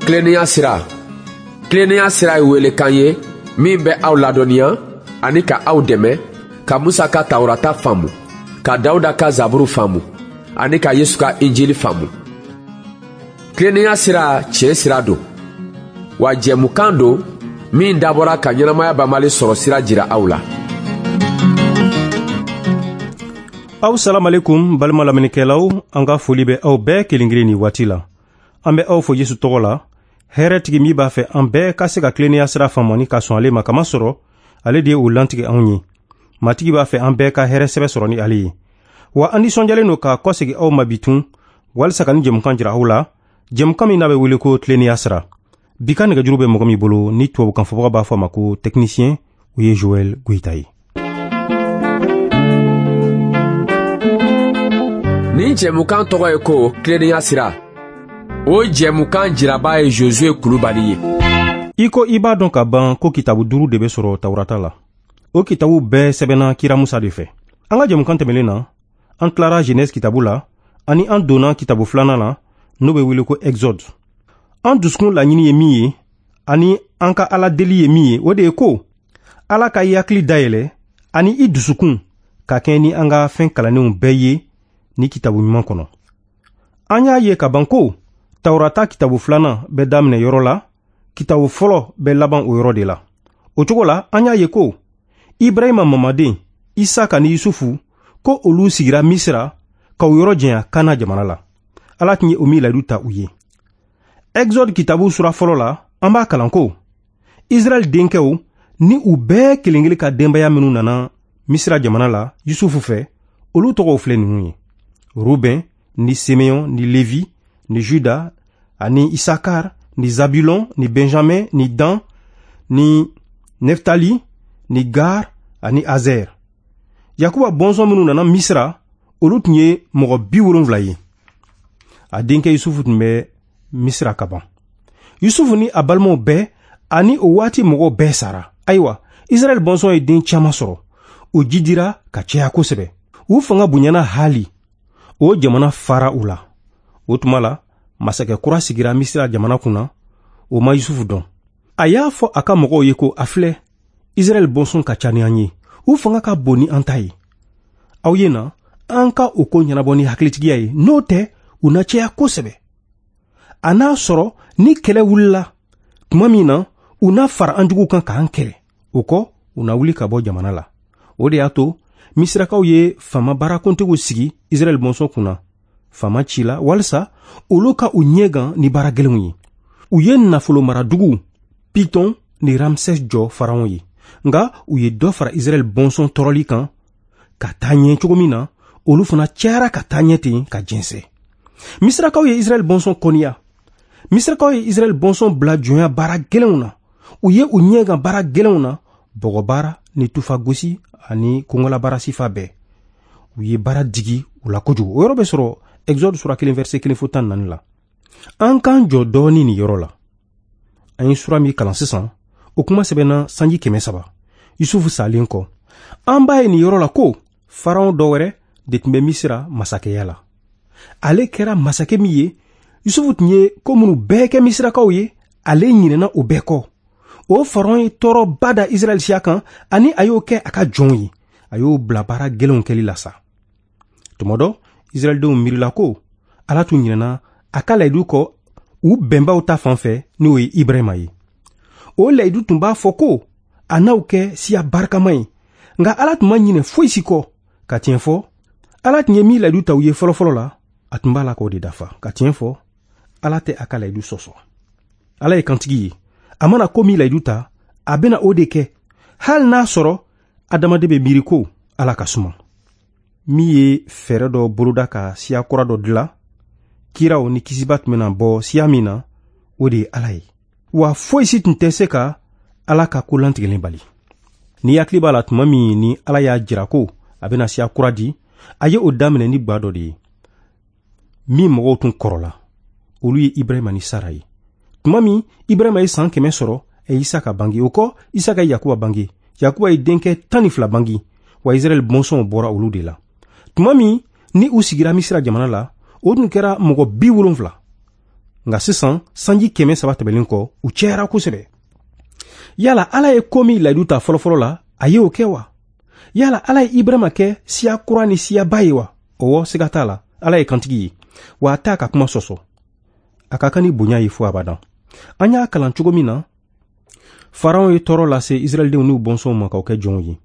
Tilennenya sira. Tilennenya sira ye welekan ye min bɛ aw ladɔnniya ani ka aw dɛmɛ ka Musa ka Tawurata faamu, ka Dawuda ka Zaburu faamu ani ka Yesu ka Injili faamu. Tilennenya sira tiɲɛ sira don, wa jɛmukan don min dabɔra ka ɲɛnamaya banbali sɔrɔ sira jira aw la. Aw salamalekum balima lamɛnnikɛlaw, an ka foli bɛ aw bɛɛ kelen kelen ni waati la. An bɛ aw fo Yesu tɔgɔ la, hɛrɛtigi min b'a fɛ an bɛɛ ka se ka tilennenya sira faamu ani ka sɔn ale ma, kamasɔrɔ ale de ye o lantigɛ anw ye. Matigi b'a fɛ an bɛɛ ka hɛrɛ sɛbɛ sɔrɔ ni ale ye. Wa an nisɔndiyalen don ka kɔsegin aw ma bi tun walisa ka ni jɛmukan jira aw la, jɛmukan min n'a bɛ wele ko tilennenya sira. Bi ka nɛgɛjuru bɛ mɔgɔ min bolo ni tubabukan fɔbaga b'a fɔ a ma ko technicien, o ye Joël Goïta ye. Nin jɛmukan tɔgɔ ye ko tilennenya sira. O jɛmukan jiraba ye Josué Kulubali ye. I ko i b'a dɔn ka ban ko kitabu 5 de bɛ sɔrɔ Tawurata la. O kitabu bɛɛ sɛbɛnna kira Musa de fɛ. An ka jɛmukan tɛmɛnen na, an tilara Genèse kitabu la ani an donna kitabu filanan la n'o bɛ wele ko Exode. An dusukun laɲini ye min ye ani an ka Ala deli ye min ye, o de ye ko Ala ka i hakili dayɛlɛ ani i dusukun ka kɛɲɛ ni an ka fɛn kalannenw bɛɛ ye ni kitabu ɲuman kɔnɔ. An y'a ye ka ban ko Tawurata kitabu filanan bɛ daminɛ yɔrɔ la, kitabu fɔlɔ bɛ laban o yɔrɔ de la. O cogo la, an y'a ye ko Ibrahima mamaden Isaka ni Yusufu ko olu sigira Misira ka u yɔrɔ janya Kana jamana la. Ala tun ye o min layidu ta u ye. Exode kitabu sura fɔlɔ la, an b'a kalan ko Israɛl denkɛw ni u bɛɛ kelen kelen ka denbaya minnu nana Misira jamana la Yusufu fɛ, olu tɔgɔw filɛ ninnu ye: Ruben ni Simeon ni Levi ni Juda ani Isakar ni Zabulon ni Benjamin ni Dan ni Neftali ni Gar ani Azer. Yakuba bɔnsɔn minnu nana Misira, olu tun ye mɔgɔ 70 ye. A denkɛ Yusufu tun bɛ Misira ka ban. Yusufu ni a balimaw bɛɛ ani o waati mɔgɔw bɛɛ sara. Ayiwa, Israɛl bɔnsɔn ye den caman sɔrɔ. O jidira ka caya kosɛbɛ. U fanga bonyana hali. O jamana fara u la. O tuma la, masakɛ kura sigira Misira jamana kunna, o ma Yusufu dɔn. A y'a fɔ a ka mɔgɔw ye ko a filɛ, Israɛl bɔnsɔn ka ca ni an ye. U fanga ka bon ni an ta ye. Aw ye na, an ka o ko ɲɛnabɔ ni hakilitigiya ye, n'o tɛ, u na caya kosɛbɛ. A n'a sɔrɔ ni kɛlɛ wulila tuma min na, u na fara an juguw kan k'an kɛlɛ. O kɔ, u na wuli ka bɔ jamana la. O de y'a to Misirakaw ye faama baarakuntigiw sigi Israɛl bɔnsɔn kunna, faama ci la walisa olu ka u ɲɛ gan ni baara gɛlɛnw ye. U ye nafolo maraduguw Piton ni Ramsès jɔ Faraon ye. Nka u ye dɔ fara Israɛl bɔnsɔn tɔɔrɔli kan ka taa ɲɛ cogo min na, olu fana cayara ka taa ɲɛ ten ka jɛnsɛn. Misirakaw ye Israɛl bɔnsɔn kɔniya. Misirakaw ye Israɛl bɔnsɔn bila jɔnya baara gɛlɛnw na. U ye u ɲɛ gan baara gɛlɛnw na, bɔgɔbaara ni tufagosi ani kɔngɔlabaara sifa bɛɛ. U ye baara digi u la kojugu. O yɔrɔ bɛ sɔrɔ Exode sura 1 verset 1 fo 14 la. An k'an jɔ dɔɔni nin yɔrɔ la. An ye sura min kalan sisan, o kuma sɛbɛnna sanji 300 Yusufu salen kɔ. An b'a ye nin yɔrɔ la ko Faraon dɔ wɛrɛ de tun bɛ Misira masakɛya la. Ale kɛra masakɛ min ye, Yusufu tun ye ko minnu bɛɛ kɛ Misirakaw ye, ale ɲinɛna o bɛɛ kɔ. O Faraon ye tɔɔrɔba da Israɛl siya kan ani a y'o kɛ a ka jɔnw ye. A y'o bila baara gɛlɛnw kɛli la sa. Tuma dɔ, Israɛldenw miirila ko Ala tun ɲinɛna a ka layidu kɔ u bɛnbaw ta fan fɛ, n'o ye Ibrahima ye. O layidu tun b'a fɔ ko a n'aw kɛ siya barikama ye, nka Ala tun ma ɲinɛ foyi si kɔ. Ka tiɲɛ fɔ, Ala tun ye min layidu ta u ye fɔlɔfɔlɔ la, a tun b'a la k'o de dafa. Ka tiɲɛ fɔ, Ala tɛ a ka layidu sɔsɔ. Ala ye kantigi ye. A mana ko min layidu ta, a bɛna o de kɛ, hali n'a sɔrɔ adamaden bɛ miiri ko Ala ka suma. Min ye fɛɛrɛ dɔ boloda ka siya kura dɔ dilan, kiraw ni kisiba tun bɛna bɔ siya min na, o de ye Ala ye. Wa foyi si tun tɛ se ka Ala ka ko lantigɛlen bali. Ni hakili b'a la tuma min ni Ala y'a jira ko a bɛna siya kura di, a ye o daminɛ ni gwa dɔ de ye min mɔgɔw tun kɔrɔla, olu ye Ibrahima ni Sara ye. Tuma min Ibrahima ye san 100 sɔrɔ, a ye Isaka bange. O kɔ, Isaka ye Yakuba bange. Yakuba ye denkɛ 12 bange, wa Israɛl bɔnsɔnw bɔra olu de la. Tuma min ni u sigira Misira jamana la, o tun kɛra mɔgɔ 70. Nka sisan sanji 300 tɛmɛlen kɔ, u cayara kosɛbɛ. Yala Ala ye ko min layidu ta fɔlɔfɔlɔ la, a ye o kɛ wa? Yala Ala ye Ibrahima kɛ siya kura ni siyaba ye wa? Ɔwɔ, siga t'a la, Ala ye kantigi ye, wa a t'a ka kuma sɔsɔ. A ka kan ni bonya ye fo abadan. An y'a kalan cogo min na, Faraon ye tɔɔrɔ lase Israɛldenw n'u bɔnsɔnw ma k'aw kɛ jɔnw ye.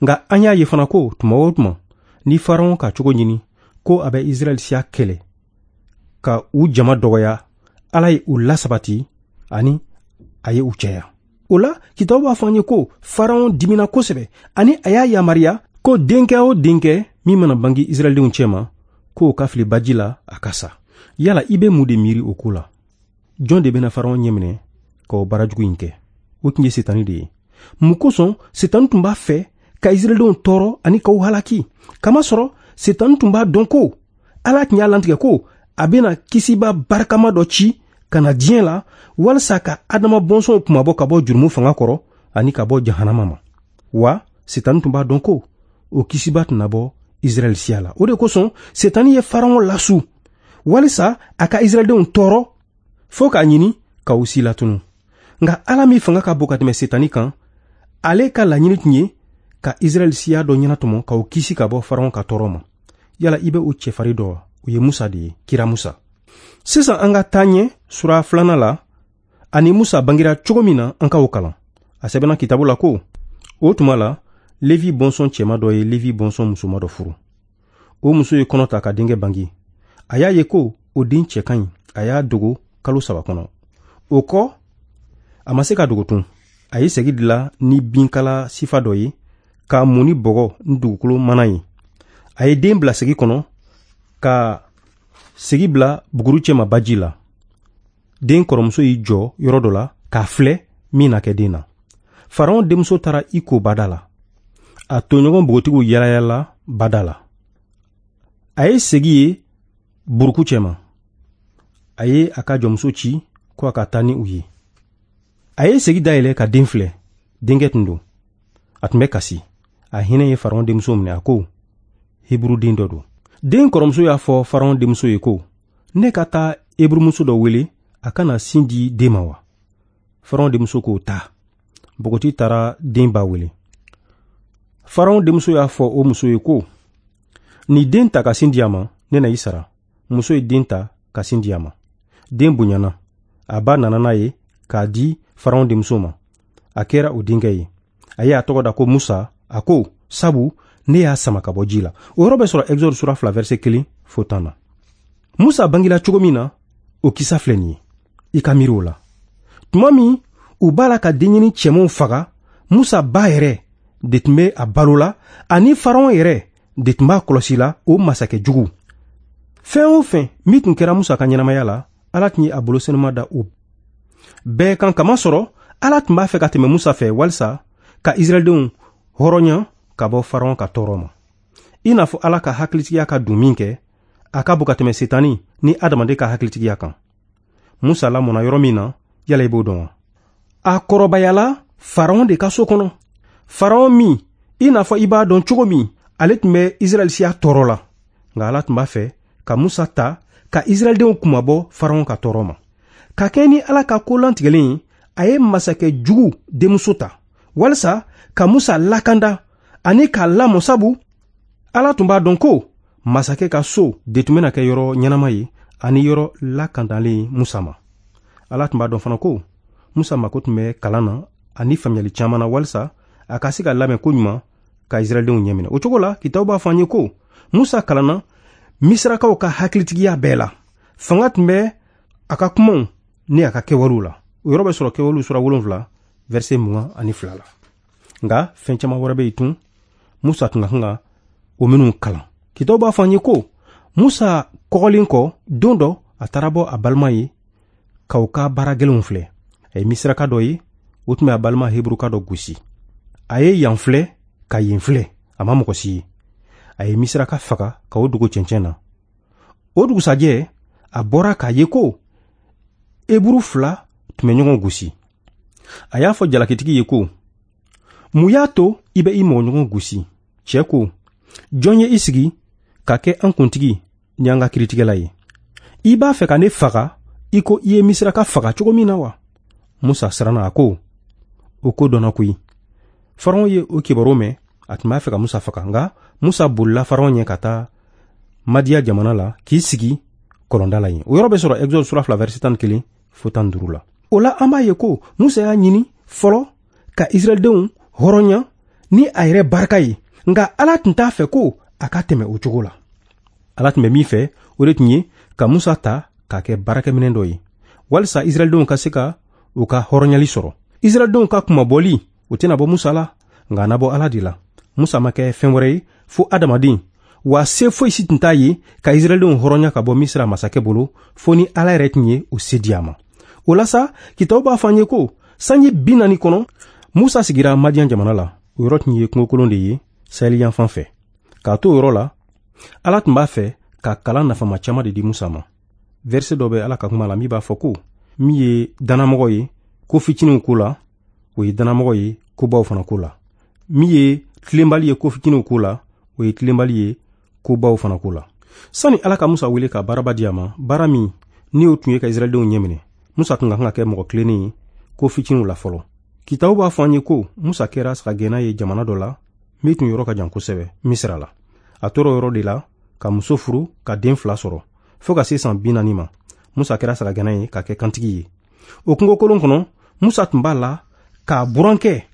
Nka an y'a ye fana ko tuma o tuma ni Faraon ka cogo ɲini ko a bɛ Israɛl siya kɛlɛ ka u jama dɔgɔya, Ala ye u lasabati ani a ye u caya. O la, kitabu b'a fɔ an ye ko Faraon dimina kosɛbɛ ani a y'a yamaruya ko denkɛ o denkɛ min mana bange Israɛldenw cɛma, k'o ka fili baji la a ka sa. Yala i bɛ mun de miiri o ko la? Jɔn de bɛna Faraon ɲɛminɛ ka o baara jugu in kɛ? O tun ye Setani de ye. Mun kosɔn Setani tun b'a fɛ ka Israɛldenw tɔɔrɔ ani k'u halaki? Kamasɔrɔ Setani tun b'a dɔn ko Ala tun y'a lantigɛ ko a bɛna kisiba barikama dɔ ci ka na diɲɛ la walasa ka Adama bɔnsɔnw kunmabɔ ka bɔ jurumu fanga kɔrɔ ani ka bɔ jahanama ma. Wa Setani tun b'a dɔn ko o kisiba tɛna bɔ Israɛl siya la. O de kosɔn Setani ye Faraon lasu walisa a ka Israɛldenw tɔɔrɔ fo k'a ɲini ka u si latunu. Nka Ala min fanga ka bon ka tɛmɛ Setani kan, ale ka laɲini tun ye ka Israɛl siya dɔ ɲɛnatɔmɔ k'o kisi ka bɔ Faraon ka tɔɔrɔ ma. Yala i bɛ o cɛfarin dɔ wa? O ye Musa de ye, kira Musa. Sisan an ka taa ɲɛ sura 2 la, ani Musa bangera cogo min na, an k'o kalan. A sɛbɛnna kitabu la ko, o tuma la, Levi bɔnsɔn cɛma dɔ ye Levi bɔnsɔn musoma dɔ furu. O muso ye kɔnɔ ta ka denkɛ bange. A y'a ye ko o den cɛ ka ɲi, a y'a dogo kalo 3 kɔnɔ. O kɔ, a ma se ka dogo tun. A ye segi dilan ni binkala sifa dɔ ye, k'a mun ni bɔgɔ ni dugukolo mana ye. A ye den bila segi kɔnɔ, ka segi bila buguru cɛma baji la. Den kɔrɔmuso y'i jɔ yɔrɔ dɔ la k'a filɛ min na kɛ den na. Faraon denmuso taara i ko bada la. A toɲɔgɔn npogotigiw yalayala bada la. A ye segi ye buruku cɛma. A ye a ka jɔnmuso ci ko a ka taa ni u ye. A ye segi dayɛlɛ ka den filɛ. Denkɛ tun don. A tun bɛ kasi. A hinɛ ye Faraon denmuso minɛ, a ko, Heburuden dɔ don. Den kɔrɔmuso y'a fɔ Faraon denmuso ye ko, ne ka taa Heburumuso dɔ wele a kana sin di den ma wa? Faraon denmuso k'o ta. Npogotigi taara den ba wele. Faraon denmuso y'a fɔ o muso ye ko, ni den ta ka sin di a ma, ne na i sara. Muso ye den ta ka sin di a ma. Den bonyana. A ba nana n'a ye k'a di Faraon denmuso ma. A kɛra o denkɛ ye. A ye a tɔgɔ da ko Musa. A ko, sabu ne y'a sama ka bɔ ji la. O yɔrɔ bɛ sɔrɔ Exode sura 2 verset 1 fo 10 na. Musa bangela cogo min na, o kisa filɛ nin ye. I ka miiri o la. Tuma min u b'a la ka denɲɛnin cɛmanw faga, Musa ba yɛrɛ de tun bɛ a balo la, ani Faraon yɛrɛ de tun b'a kɔlɔsi la, o masakɛ jugu. Fɛn o fɛn min tun kɛra Musa ka ɲɛnamaya la, Ala tun ye a bolo senuma da o bɛɛ kan, kamasɔrɔ Ala tun b'a fɛ ka tɛmɛ Musa fɛ walisa ka Israɛldenw hɔrɔnya ka bɔ Faraon ka tɔɔrɔ ma. I n'a fɔ Ala ka hakilitigiya ka dun min kɛ, a ka bon ka tɛmɛ Setani ni adamaden ka hakilitigiya kan. Musa lamɔna yɔrɔ min na, yala i b'o dɔn wa? A kɔrɔbayala Faraon de ka so kɔnɔ. Faraon min, i n'a fɔ i b'a dɔn cogo min, ale tun bɛ Israɛl siya tɔɔrɔ la. Nka Ala tun b'a fɛ ka Musa ta ka Israɛldenw kunmabɔ Faraon ka tɔɔrɔ ma. Ka kɛɲɛ ni Ala ka ko lantigɛlen ye, a ye masakɛ jugu denmuso ta walisa ka Musa lakanda ani k'a lamɔ, sabu Ala tun b'a dɔn ko masakɛ ka so de tun bɛna kɛ yɔrɔ ɲɛnama ye ani yɔrɔ lakandalen Musa ma. Ala tun b'a dɔn fana ko Musa mako tun bɛ kalan na ani faamuyali caman na walisa a ka se ka labɛn ko ɲuman ka Israɛldenw ɲɛminɛ. O cogo la, kitabu b'a fɔ an ye ko Musa kalanna Misirakaw ka hakilitigiya bɛɛ la. Fanga tun bɛ a ka kumaw ni a ka kɛwalew la. O yɔrɔ bɛ sɔrɔ Kɛwalew sura 7 verset 22 la. Nka fɛn caman wɛrɛ bɛ yen tun Musa tun ka kan ka o minnu kalan. Kitabu b'a fɔ an ye ko Musa kɔgɔlen kɔ, don dɔ a taara bɔ a balima ye k'aw ka baara gɛlɛnw filɛ. A ye Misiraka dɔ ye, o tun bɛ a balima Heburuka dɔ gosi. A ye yan filɛ ka yen filɛ, a ma mɔgɔ si ye. A ye Misiraka faga ka o dogo cɛncɛn na. O dugusajɛ, a bɔra k'a ye ko Heburu 2 tun bɛ ɲɔgɔn gosi. A y'a fɔ jalakitigi ye ko, mun y'a to i bɛ i mɔgɔɲɔgɔn gosi? Cɛ ko, jɔn ye i sigi ka kɛ an kuntigi ni an ka kiritigɛla ye? I b'a fɛ ka ne faga i ko i ye Misiraka faga cogo min na wa? Musa siranna, a ko, o ko dɔnna koyi. Faraon ye o kibaru mɛn, a tun b'a fɛ ka Musa faga, nka Musa bolila Faraon ɲɛ ka taa Madiya jamana la k'i sigi kɔlɔnda la yen. O yɔrɔ bɛ sɔrɔ Exode sura 2 verset 11 fo 15 la. O la an b'a ye ko Musa y'a ɲini fɔlɔ ka Israɛldenw hɔrɔnya ni a yɛrɛ barika ye, nka Ala tun t'a fɛ ko a ka tɛmɛ o cogo la. Ala tun bɛ min fɛ, o de tun ye ka Musa ta k'a kɛ baarakɛminɛn dɔ ye, walisa Israɛldenw ka se ka u ka hɔrɔnyali sɔrɔ. Israɛldenw ka kunmabɔli, o tɛna bɔ Musa la, nka a na bɔ Ala de la. Musa ma kɛ fɛn wɛrɛ ye fo adamaden, wa se foyi si tun t'a ye ka Israɛldenw hɔrɔnya ka bɔ Misira masakɛ bolo, fo ni Ala yɛrɛ tun ye o se di a ma. O la sa, kitabu b'a fɔ an ye ko sanji 40 kɔnɔ, Musa sigira Madiyan jamana la. O yɔrɔ tun ye kungokolon de ye Saheli yanfan fɛ. K'a to o yɔrɔ la, Ala tun b'a fɛ ka kalan nafama caman de di Musa ma. Verset dɔ bɛ Ala ka kuma la min b'a fɔ ko min ye dannamɔgɔ ye ko fitininw ko la, o ye dannamɔgɔ ye kobaw fana ko la. Min ye tilenbali ye ko fitininw ko la, o ye tilenbali ye kobaw fana ko la. Sani Ala ka Musa wele ka baaraba di a ma, baara min ni o tun ye ka Israɛldenw ɲɛminɛ, Musa tun ka kan ka kɛ mɔgɔ tilennen ye ko fitininw la fɔlɔ. Kitabu b'a fɔ an ye ko Musa kɛra sagagɛnna ye jamana dɔ la min tun yɔrɔ ka jan kosɛbɛ, Misira la. A tora o yɔrɔ de la ka muso furu ka den 2 sɔrɔ fo ka se san 40 ma. Musa kɛra sagagɛnna ye ka kɛ kantigi ye. O kungokolon kɔnɔ, Musa tun b'a la k'a burankɛ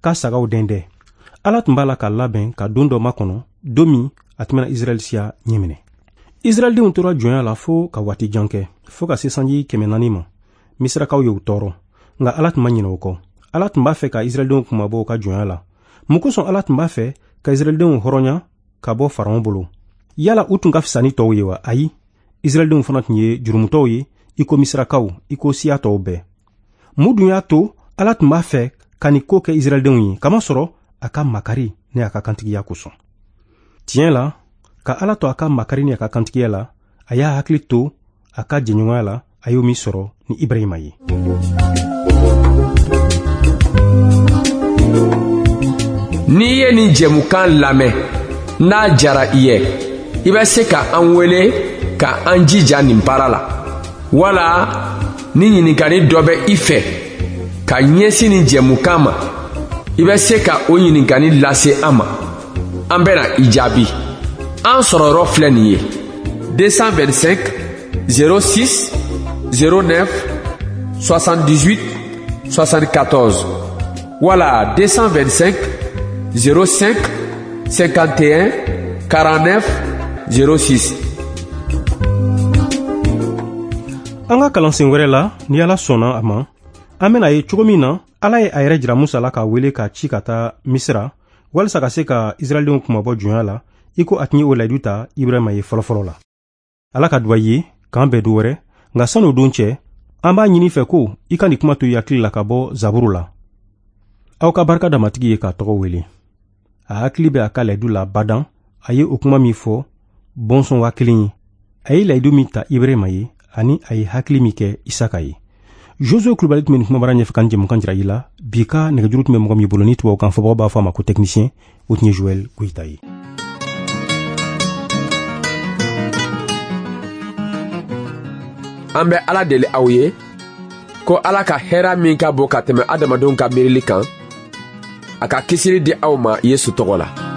ka sagaw dɛndɛ. Ala tun b'a la k'a labɛn ka don dɔ makɔnɔ, don min a tun bɛna Israɛl siya ɲɛminɛ. Israɛldenw tora jɔnya la fo ka waati jan kɛ, fo ka se sanji 400 ma. Misirakaw y'u tɔɔrɔ, nka Ala tun ma ɲinɛ o kɔ. Ala tun b'a fɛ ka Israɛldenw kunmabɔ u ka jɔnya la. Mun kosɔn Ala tun b'a fɛ ka Israɛldenw hɔrɔnya ka bɔ Faraon bolo? Yala u tun ka fisa ni tɔw ye wa? Ayi, Israɛldenw fana tun ye jurumutɔw ye, i ko Misirakaw, i ko siya tɔw bɛɛ. Mun dun y'a to Ala tun b'a fɛ ka nin ko kɛ Israɛldenw ye? Kamasɔrɔ a ka makari ni a ka kantigiya kosɔn. Tiɲɛ la, ka Ala to a ka makari ni a ka kantigiya la, a y'a hakili to a ka jɛɲɔgɔnya la, a y'o min sɔrɔ ni Ibrahima ye. N'i ye nin jɛmukan lamɛn, n'a jara i ye, i bɛ se ka an wele ka an jija nin baara la. Wala ni ɲininkali dɔ bɛ i fɛ ka ɲɛsin nin jɛmukan ma, i bɛ se ka o ɲininkali lase an ma. An bɛna i jaabi. An sɔrɔyɔrɔ filɛ nin ye: 225 06 09 78 74 wala 225 05 51 49 06. An ka kalansen wɛrɛ la, ni Ala sɔnna a ma, an bɛna ye cogo min na Ala ye a yɛrɛ jira Musa la k'a wele k'a ci ka taa Misira walisa ka se ka Israɛldenw kunmabɔ jɔnya la, i ko a tun ye o layidu ta Ibrahima ye fɔlɔfɔlɔ la. Ala ka duba ye k'an bɛn don wɛrɛ, nka san'o don cɛ, an b'a ɲini fɛ ko i ka nin kuma to i hakili la ka bɔ Zaburu la. Aw ka barika da Matigi ye k'a tɔgɔ wele. A hakili bɛ a ka layidu la badan, a ye o kuma min fɔ bɔnsɔn 1000 ye. A ye layidu min ta Ibrahima ye, ani a ye hakili min kɛ Isaka ye. Josué Kulubali tun bɛ nin kumabara ɲɛfɛ ka nin jɛmukan jira i la. Bi ka nɛgɛjuru tun bɛ mɔgɔ min bolo ni tubabukan fɔbagaw b'a fɔ a ma ko technicien, o tun ye Joël Goyita ye. An bɛ Ala deli aw ye ko Ala ka hɛrɛ min ka bon ka tɛmɛ adamadenw ka miirili kan, a ka kisili di aw ma Yesu tɔgɔ la.